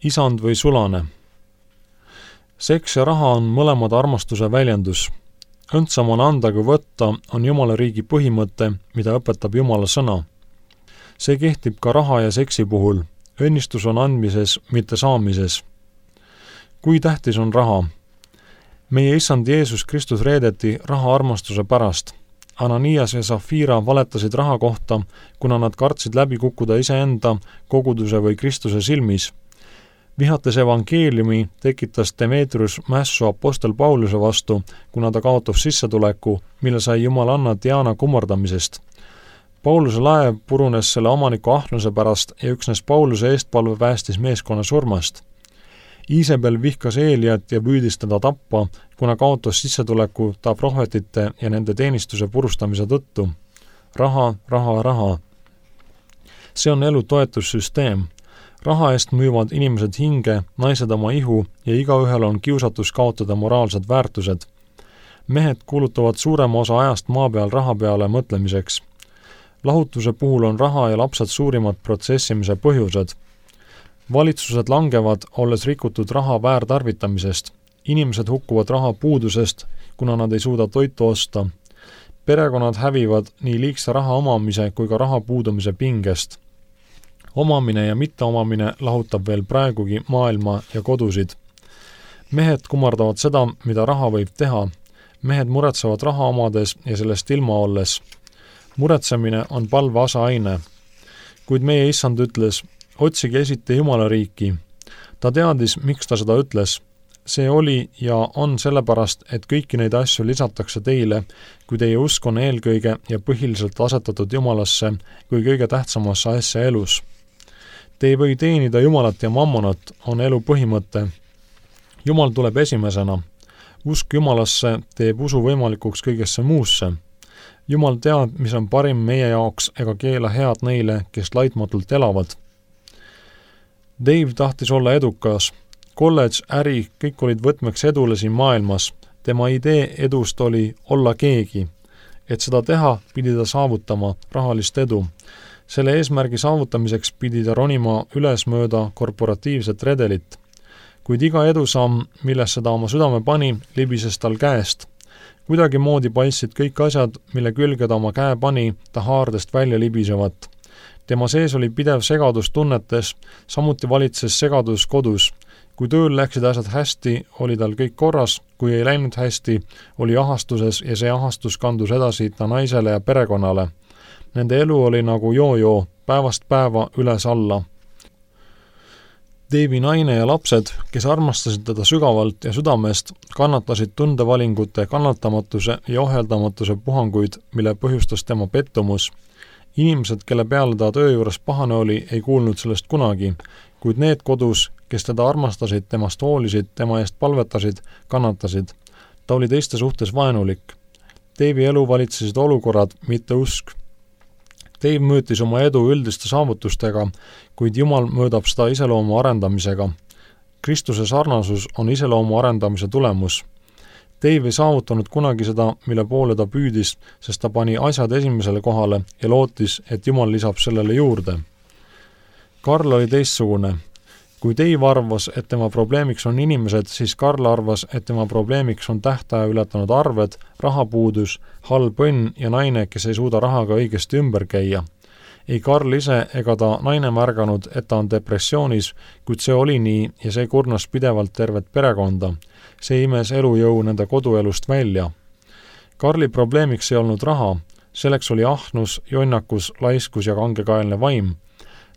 isand või sulane. Seks ja raha on mõlemad armastuse väljendus. Õndsam on anda kui võtta on Jumala riigi põhimõte, mida õpetab Jumala sõna. See kehtib ka raha ja seksi puhul. Õnnistus on andmises, mitte saamises. Kui tähtis on raha? Meie issand Jeesus Kristus reedeti raha armastuse pärast. Ananias ja Safira valetasid raha kohta, kuna nad kartsid läbi kukkuda iseenda, koguduse või Kristuse silmis. Vihates evangeeliumi tekitas Demetrius mässu apostel Pauluse vastu, kuna ta kaotas sissetuleku, mille sai jumalanna Diana kummardamisest. Pauluse laev purunes selle omaniku ahnuse pärast ja üksnes Pauluse eestpalve päästis meeskonna surmast. Iisabel vihkas Eeliat ja püüdis teda tappa, kuna kaotas sissetuleku ta prohvetite ja nende teenistuse purustamise tõttu. Raha, raha, raha. See on elu toetussüsteem. Raha eest müüvad inimesed hinge, naised oma ihu ja igaühel on kiusatus kaotada moraalsed väärtused. Mehed kulutavad suurema osa ajast maa peal raha peale mõtlemiseks. Lahutuse puhul on raha ja lapsed suurimad protsessimise põhjused. Valitsused langevad, olles rikutud raha väärtarvitamisest. Inimesed hukkuvad raha puudusest, kuna nad ei suuda toitu osta. Perekonnad hävivad nii liigse raha omamise kui ka raha puudumise pingest. Omamine ja mitteomamine lahutab veel praegugi maailma ja kodusid. Mehed kummardavad seda, mida raha võib teha. Mehed muretsevad raha omades ja sellest ilma olles. Muretsemine on palve asaaine. Kuid meie issand ütles, otsige esite Jumala riiki. Ta teadis, miks ta seda ütles. See oli ja on sellepärast, et kõiki neid asju lisatakse teile, kui teie usk on eelkõige ja põhiliselt asetatud Jumalasse kui kõige tähtsamasse asja elus. Te ei või teenida Jumalat ja mammonat, on elu põhimõte. Jumal tuleb esimesena. Usk Jumalasse teeb usu võimalikuks kõigesse muusse. Jumal teab, mis on parim meie jaoks ega keela head neile, kes laitmatult elavad. Dave tahtis olla edukas. Kolledž, äri, kõik olid võtmeks edule siin maailmas. Tema idee edust oli olla keegi. Et seda teha, pidi ta saavutama rahalist edu. Selle eesmärgi saavutamiseks pidi ta ronima ülesmööda korporatiivset redelit. Kuid iga edusamm, millesse ta oma südame pani, libises tal käest. Kuidagi moodi paistsid kõik asjad, mille külge ta oma käe pani, ta haardest välja libisevat. Tema sees oli pidev segadus tunnetes, samuti valitses segadus kodus. Kui tööl läksid asjad hästi, oli tal kõik korras, kui ei läinud hästi, oli ahastuses ja see ahastus kandus edasi ta naisele ja perekonnale. Nende elu oli nagu joo-joo, päevast päeva üles alla. Dave'i naine ja lapsed, kes armastasid teda sügavalt ja südamest, kannatasid tundevalingute kannatamatuse ja ohjeldamatuse puhanguid, mille põhjustas tema pettumus. Inimesed, kelle peale ta töö juures pahane oli, ei kuulnud sellest kunagi, kuid need kodus, kes teda armastasid, temast hoolisid, tema eest palvetasid, kannatasid. Ta oli teiste suhtes vaenulik. Dave'i elu valitsesid olukorrad, mitte usk. Dave mõõtis oma edu üldiste saavutustega, kuid Jumal mõõdab seda iseloomu arendamisega. Kristuse sarnasus on iseloomu arendamise tulemus. Dave ei saavutanud kunagi seda, mille poole ta püüdis, sest ta pani asjad esimesele kohale ja lootis, et Jumal lisab sellele juurde. Karl oli teistsugune. Kui Dave arvas, et tema probleemiks on inimesed, siis Karl arvas, et tema probleemiks on tähtaja ületanud arved, rahapuudus, halb õnn ja naine, kes ei suuda rahaga õigesti ümber käia. Ei Karl ise ega ta naine märganud, et ta on depressioonis, kuid see oli nii ja see kurnas pidevalt tervet perekonda. See imes elujõu nende koduelust välja. Karli probleemiks ei olnud raha, selleks oli ahnus, jonnakus, laiskus ja kangekaelne vaim.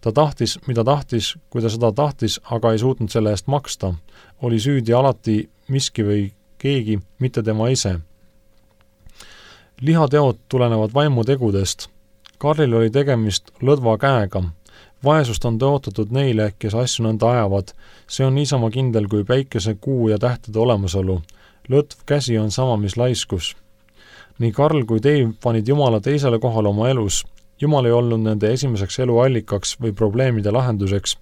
Ta tahtis, mida tahtis, kui ta seda tahtis, aga ei suutnud selle eest maksta. Oli süüdi alati miski või keegi, mitte tema ise. Lihateod tulenevad vaimutegudest. Karlil oli tegemist lõdva käega. Vaesust on tõotatud neile, kes asju nõnda ajavad. See on niisama kindel kui päikese, kuu ja tähtede olemasolu. Lõtv käsi on sama, mis laiskus. Nii Karl kui Dave panid Jumala teisele kohale oma elus. Jumal ei olnud nende esimeseks eluallikaks või probleemide lahenduseks.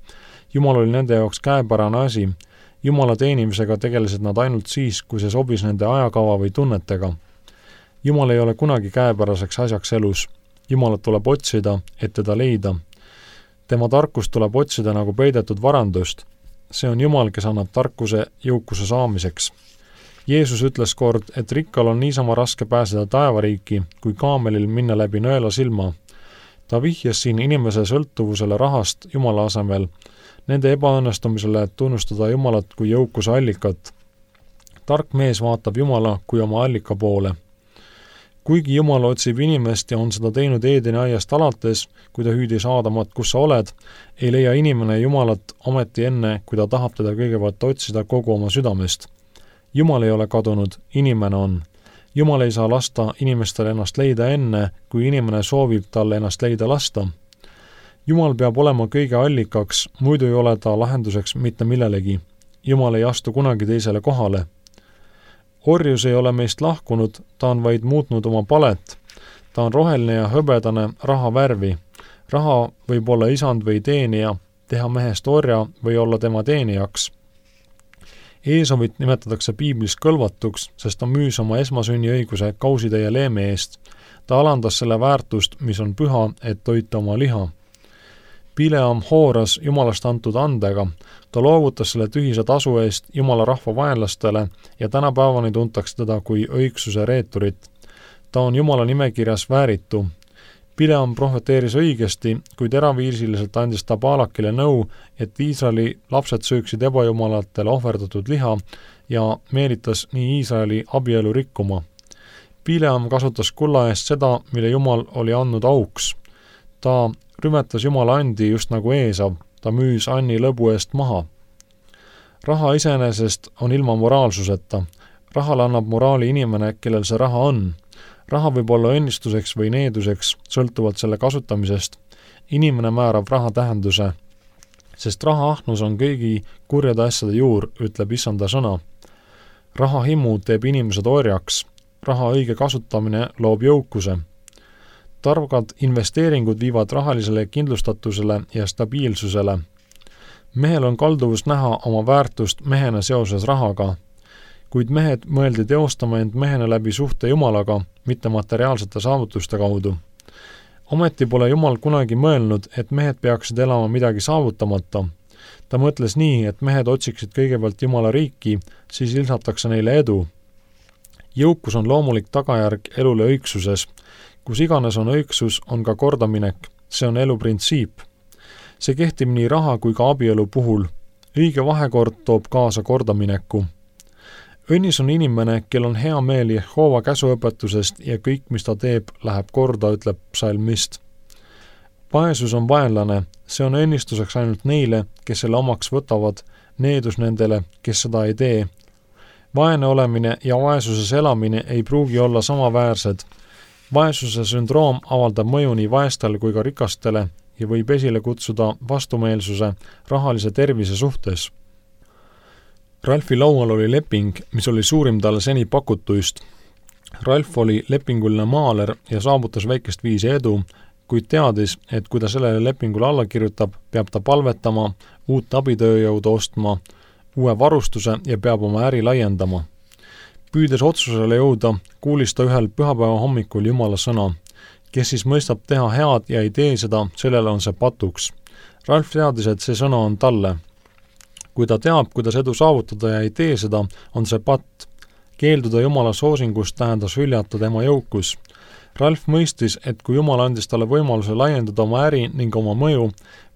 Jumal oli nende jaoks käepärane asi. Jumala teenimisega tegelesid nad ainult siis, kui see sobis nende ajakava või tunnetega. Jumal ei ole kunagi käepäraseks asjaks elus. Jumalat tuleb otsida, et teda leida. Tema tarkust tuleb otsida nagu peidetud varandust. see on Jumal, kes annab tarkuse jõukuse saamiseks. Jeesus ütles kord, et rikkal on niisama raske pääseda taevariiki, kui kaamelil minna läbi nõela silma. Ta vihjas siin inimese sõltuvusele rahast Jumala asemel, nende ebaõnnestumisele tunnustada Jumalat kui jõukuse allikat. Tark mees vaatab Jumala kui oma allika poole. Kuigi Jumal otsib inimest ja on seda teinud Eedeni aiast alates, kui ta hüüdis Aadamat, kus sa oled, ei leia inimene Jumalat ometi enne, kui ta tahab teda kõigepealt otsida kogu oma südamest. Jumal ei ole kadunud, inimene on. Jumal ei saa lasta inimestel ennast leida enne, kui inimene soovib talle ennast leida lasta. Jumal peab olema kõige allikaks, muidu ei ole ta lahenduseks mitte millelegi. Jumal ei astu kunagi teisele kohale. Orjus ei ole meist lahkunud, ta on vaid muutnud oma palet. Ta on roheline ja hõbedane raha värvi. Raha võib olla isand või teenija, teha mehest orja või olla tema teenijaks. Eesovit nimetatakse piiblis kõlvatuks, sest ta müüs oma esmasünniõiguse kausitäie leeme eest. Ta alandas selle väärtust, mis on püha, et toita oma liha. Bileam hooras Jumalast antud andega, ta loovutas selle tühise tasu eest Jumala rahva vaenlastele ja tänapäevani tuntakse teda kui õigsuse reeturit. Ta on Jumala nimekirjas vääritu. Bileam prohveteeris õigesti, kuid eraviisiliselt andis ta Baalakile nõu, et Iisraeli lapsed sööksid ebajumalatele ohverdatud liha ja meelitas nii Iisraeli abielu rikkuma. Bileam kasutas kulla eest seda, mille Jumal oli andnud auks. Ta rümetas Jumala andi just nagu Eesav, ta müüs Anni lõbu eest maha. Raha iseenesest on ilma moraalsuseta. Rahale annab moraali inimene, kellel see raha on. Raha võib olla õnnistuseks või needuseks, sõltuvalt selle kasutamisest. Inimene määrab raha tähenduse, sest raha ahnus on kõigi kurjade asjade juur, ütleb Issanda sõna. Raha himu teeb inimesed orjaks. Raha õige kasutamine loob jõukuse. Targad investeeringud viivad rahalisele kindlustatusele ja stabiilsusele. Mehel on kalduvus näha oma väärtust mehena seoses rahaga, kuid mehed mõeldi teostama end mehena läbi suhte Jumalaga, mitte materiaalsete saavutuste kaudu. Ometi pole Jumal kunagi mõelnud, et mehed peaksid elama midagi saavutamata. Ta mõtles nii, et mehed otsiksid kõigepealt Jumala riiki, siis ilsatakse neile edu. Jõukus on loomulik tagajärg elule õigsuses. Kus iganes on õigsus, on ka kordaminek. See on elu printsiip. See kehtib nii raha kui ka abielu puhul. Õige vahekord toob kaasa kordamineku. Õnnis on inimene, kel on hea meel Jehova käsuõpetusest ja kõik, mis ta teeb, läheb korda, ütleb psalmist. Vaesus on vaenlane, see on õnnistuseks ainult neile, kes selle omaks võtavad, needus nendele, kes seda ei tee. Vaene olemine ja vaesuses elamine ei pruugi olla samaväärsed. Vaesuse sündroom avaldab mõju nii vaestel kui ka rikastele ja võib esile kutsuda vastumeelsuse rahalise tervise suhtes. Ralfi laual oli leping, mis oli suurim talle seni pakutuist. Ralf oli lepinguline maaler ja saavutas väikest viisi edu, kuid teadis, et kui ta sellele lepingule alla kirjutab, peab ta palvetama, uut abitööjõudu ostma, uue varustuse ja peab oma äri laiendama. Püüdes otsusele jõuda, kuulis ta ühel pühapäeva hommikul Jumala sõna. Kes siis mõistab teha head ja ei tee seda, sellele on see patuks. Ralf teadis, et see sõna on talle. Kui ta teab, kuidas edu saavutada ja ei tee seda, on see patt. Keelduda Jumala soosingust tähendas hüljata tema jõukus. Ralf mõistis, et kui Jumal andis talle võimaluse laiendada oma äri ning oma mõju,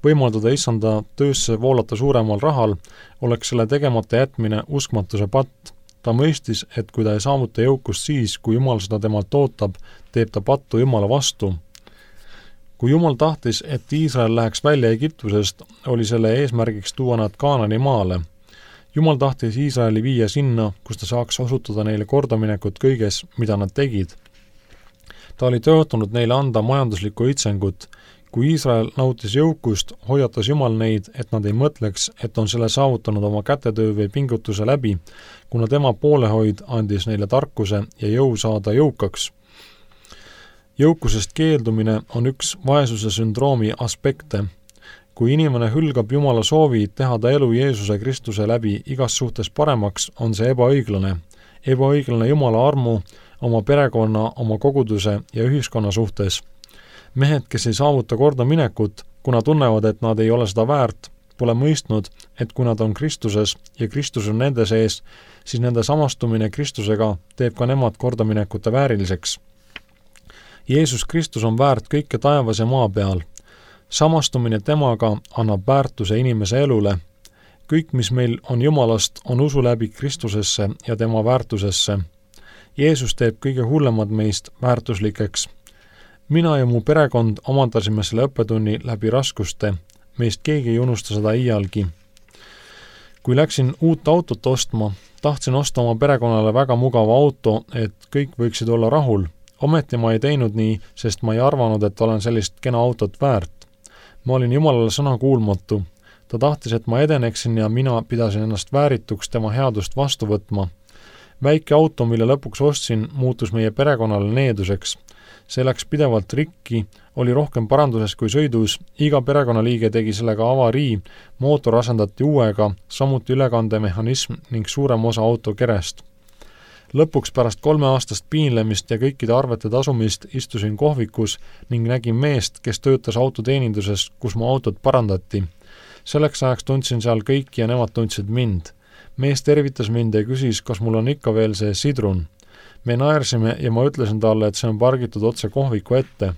võimaldada Issanda töösse voolata suuremal rahal, oleks selle tegemata jätmine uskmatuse patt. Ta mõistis, et kui ta ei saavuta jõukust siis, kui Jumal seda temalt ootab, teeb ta pattu Jumala vastu. Kui Jumal tahtis, et Iisrael läheks välja Egiptusest, oli selle eesmärgiks tuua nad Kaanani maale. Jumal tahtis Iisraeli viia sinna, kus ta saaks osutada neile kordaminekut kõiges, mida nad tegid. Ta oli tõotanud neile anda majanduslikku õitsengut. Kui Iisrael nautis jõukust, hoiatas Jumal neid, et nad ei mõtleks, et on selle saavutanud oma kätetöö või pingutuse läbi, kuna tema poolehoid andis neile tarkuse ja jõu saada jõukaks. Jõukusest keeldumine on üks vaesuse sündroomi aspekte. Kui inimene hülgab Jumala soovi teha ta elu Jeesuse Kristuse läbi igas suhtes paremaks, on see ebaõiglane. Ebaõiglane Jumala armu, oma perekonna, oma koguduse ja ühiskonna suhtes. Mehed, kes ei saavuta korda minekut, kuna tunnevad, et nad ei ole seda väärt, pole mõistnud, et kui nad on Kristuses ja Kristus on nende sees, siis nende samastumine Kristusega teeb ka nemad kordaminekute vääriliseks. Jeesus Kristus on väärt kõike taevas ja maa peal. Samastumine temaga annab väärtuse inimese elule. Kõik, mis meil on Jumalast, on usu läbi Kristusesse ja tema väärtusesse. Jeesus teeb kõige hullemad meist väärtuslikeks. Mina ja mu perekond omandasime selle õppetunni läbi raskuste. Meist keegi ei unusta seda iialgi. Kui läksin uut autot ostma, tahtsin osta oma perekonnale väga mugava auto, et kõik võiksid olla rahul. Ometi ma ei teinud nii, sest ma ei arvanud, et olen sellist kena autot väärt. Ma olin Jumalale sõna kuulmatu. Ta tahtis, et ma edeneksin ja mina pidasin ennast väärituks tema headust vastu võtma. Väike auto, mille lõpuks ostsin, muutus meie perekonnale needuseks. See läks pidevalt rikki, oli rohkem paranduses kui sõidus, iga perekonnaliige tegi sellega avarii, mootor asendati uuega, samuti ülekandemehhanism ning suurem osa auto kerest. Lõpuks pärast 3-aastast piinlemist ja kõikide arvete tasumist istusin kohvikus ning nägin meest, kes töötas autoteeninduses, kus mu autot parandati. Selleks ajaks tundsin seal kõiki ja nemad tundsid mind. Mees tervitas mind ja küsis, kas mul on ikka veel see sidrun. Me naersime ja ma ütlesin talle, et see on pargitud otse kohviku ette.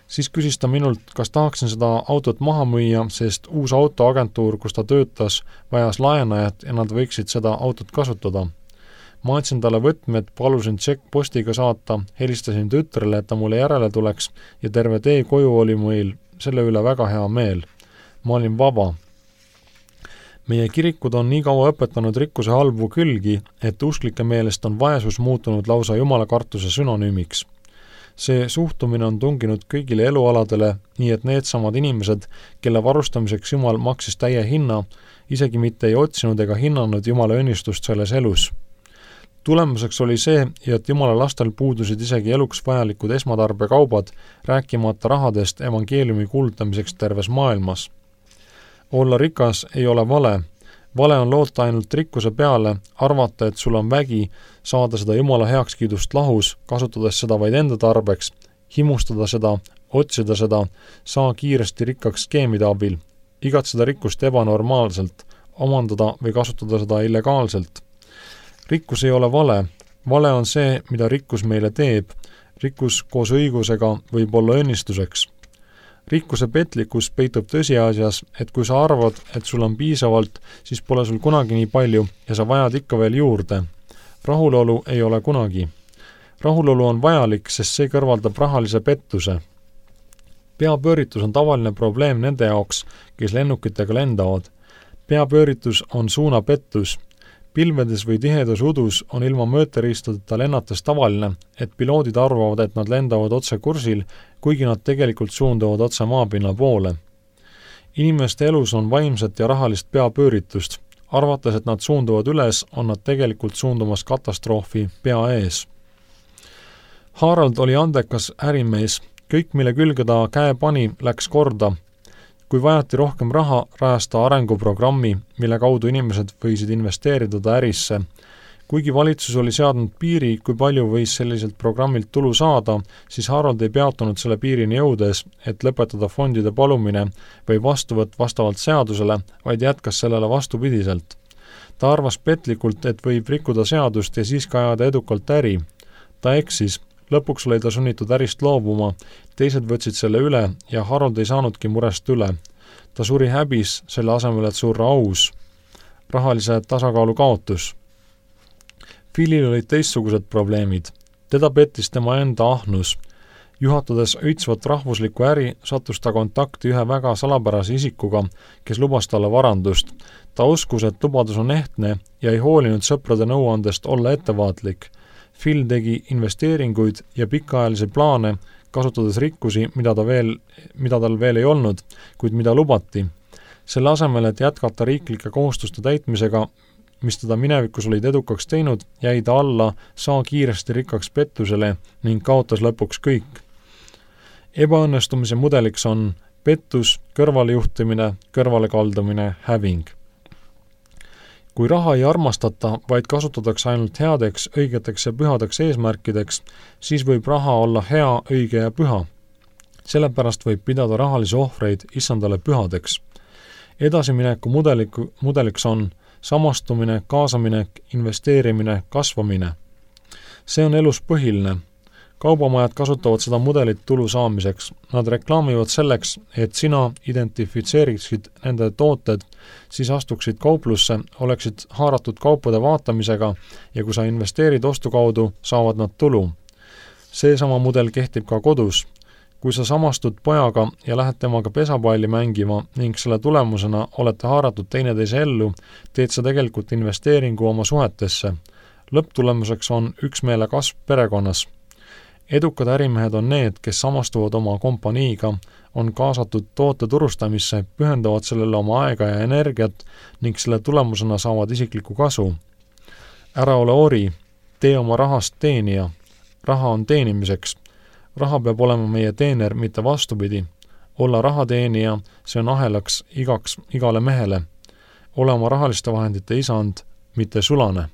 Siis küsis ta minult, kas tahaksin seda autot maha müüa, sest uus autoagentuur, kus ta töötas, vajas laenajat ja nad võiksid seda autot kasutada. Ma andsin talle võtmed, palusin tšekkpostiga saata, helistasin tütrele, et ta mulle järele tuleks ja terve tee koju oli meil selle üle väga hea meel. Ma olin vaba. Meie kirikud on nii kaua õpetanud rikkuse halbu külgi, et usklike meelest on vaesus muutunud lausa jumalakartuse sünonüümiks. See suhtumine on tunginud kõigile elualadele, nii et needsamad inimesed, kelle varustamiseks Jumal maksis täie hinna, isegi mitte ei otsinud ega hinnanud Jumala õnnistust selles elus. Tulemuseks oli see, et Jumala lastel puudusid isegi eluks vajalikud esmatarbekaubad, rääkimata rahadest evangeeliumi kuulutamiseks terves maailmas. Olla rikas ei ole vale. Vale on loota ainult rikkuse peale, arvata, et sul on vägi, saada seda Jumala heakskiidust lahus, kasutades seda vaid enda tarbeks, himustada seda, otsida seda, saa kiiresti rikkaks skeemide abil, igatseda rikkust ebanormaalselt, omandada või kasutada seda illegaalselt. Rikkus ei ole vale. Vale on see, mida rikkus meile teeb. Rikkus koos õigusega võib olla õnnistuseks. Rikkuse petlikkus peitub tõsiasjas, et kui sa arvad, et sul on piisavalt, siis pole sul kunagi nii palju ja sa vajad ikka veel juurde. Rahulolu ei ole kunagi. Rahulolu on vajalik, sest see kõrvaldab rahalise pettuse. Peapööritus on tavaline probleem nende jaoks, kes lennukitega lendavad. Peapööritus on suunapettus. Pilvedes või tihedas udus on ilma mõõteriistadeta lennates tavaline, et piloodid arvavad, et nad lendavad otse kursil, kuigi nad tegelikult suunduvad otse maapinna poole. Inimeste elus on vaimset ja rahalist peapööritust. Arvates, et nad suunduvad üles, on nad tegelikult suundumas katastroofi pea ees. Harald oli andekas ärimees. Kõik, mille külge ta käe pani, läks korda. Kui vajati rohkem raha, rajas ta arenguprogrammi, mille kaudu inimesed võisid investeerida ta ärisse. Kuigi valitsus oli seadnud piiri, kui palju võis selliselt programmilt tulu saada, siis Harald ei peatunud selle piirini jõudes, et lõpetada fondide palumine või vastuvõtt vastavalt seadusele, vaid jätkas sellele vastupidiselt. Ta arvas petlikult, et võib rikkuda seadust ja siis ka ajada edukalt äri. Ta eksis. Lõpuks oli ta sunnitud ärist loobuma, teised võtsid selle üle ja Harald ei saanudki murest üle. Ta suri häbis, selle asemel, et surra aus. Rahalise tasakaalu kaotus. Philil olid teistsugused probleemid. Teda pettis tema enda ahnus. Juhatades õitsvat rahvuslikku äri, sattus ta kontakti ühe väga salapärase isikuga, kes lubas talle varandust. Ta uskus, et lubadus on ehtne ja ei hoolinud sõprade nõuandest olla ettevaatlik. Phil tegi investeeringuid ja pikaajalisi plaane, kasutades rikkusi, mida tal veel ei olnud, kuid mida lubati. Selle asemel, et jätkata riiklike kohustuste täitmisega, mis teda minevikus olid edukaks teinud, jäi ta alla saa kiiresti rikkaks pettusele ning kaotas lõpuks kõik. Ebaõnnestumise mudeliks on pettus, kõrvalejuhtimine, kõrvalekaldumine, häving. Kui raha ei armastata, vaid kasutatakse ainult headeks, õigeteks ja pühadeks eesmärkideks, siis võib raha olla hea, õige ja püha. Sellepärast võib pidada rahalisi ohvreid issandale pühadeks. Edasimineku mudeliks on samastumine, kaasaminek, investeerimine, kasvamine. See on elus põhiline. Kaubamajad kasutavad seda mudelit tulu saamiseks. Nad reklaamivad selleks, et sina identifitseeriksid nende tooted, siis astuksid kauplusse, oleksid haaratud kaupade vaatamisega ja kui sa investeerid ostu kaudu, saavad nad tulu. Seesama mudel kehtib ka kodus. Kui sa samastud pojaga ja lähed temaga pesapalli mängima ning selle tulemusena olete haaratud teineteise ellu, teed sa tegelikult investeeringu oma suhetesse. Lõpptulemuseks on üksmeele kasv perekonnas. Edukad ärimehed on need, kes samastuvad oma kompaniiga, on kaasatud toote turustamisse, pühendavad sellele oma aega ja energiat ning selle tulemusena saavad isiklikku kasu. Ära ole ori, tee oma rahast teenija. Raha on teenimiseks. Raha peab olema meie teener, mitte vastupidi. Olla rahateenija, see on ahelaks igale mehele. Ole oma rahaliste vahendite isand, mitte sulane.